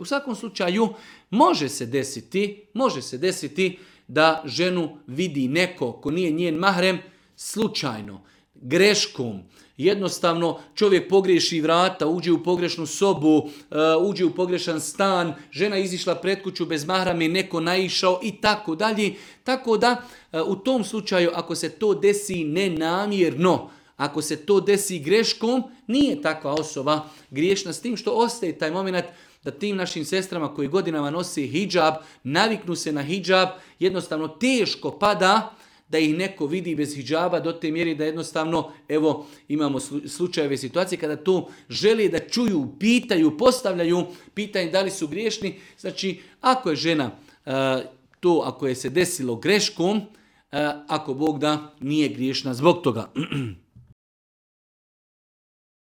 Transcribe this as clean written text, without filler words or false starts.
U svakom slučaju može se desiti da ženu vidi neko ko nije njen mahrem slučajno, greškom. Jednostavno čovjek pogriješi vrata, uđe u pogrešnu sobu, uđe u pogrešan stan, žena izišla pred kuću bez mahrama i neko naišao i tako dalje. Tako da u tom slučaju ako se to desi nenamjerno, ako se to desi greškom, nije takva osoba griješna, s tim što ostaje taj moment da tim našim sestrama koji godinama nose hidžab, naviknu se na hidžab, jednostavno teško pada da ih neko vidi bez hidžaba do te mjere da jednostavno, evo, imamo slučajeve situacije kada to žele da čuju, pitaju, postavljaju pitanje da li su griješni. Znači, ako je žena ako je se desilo greškom, ako Bog da, nije griješna zbog toga.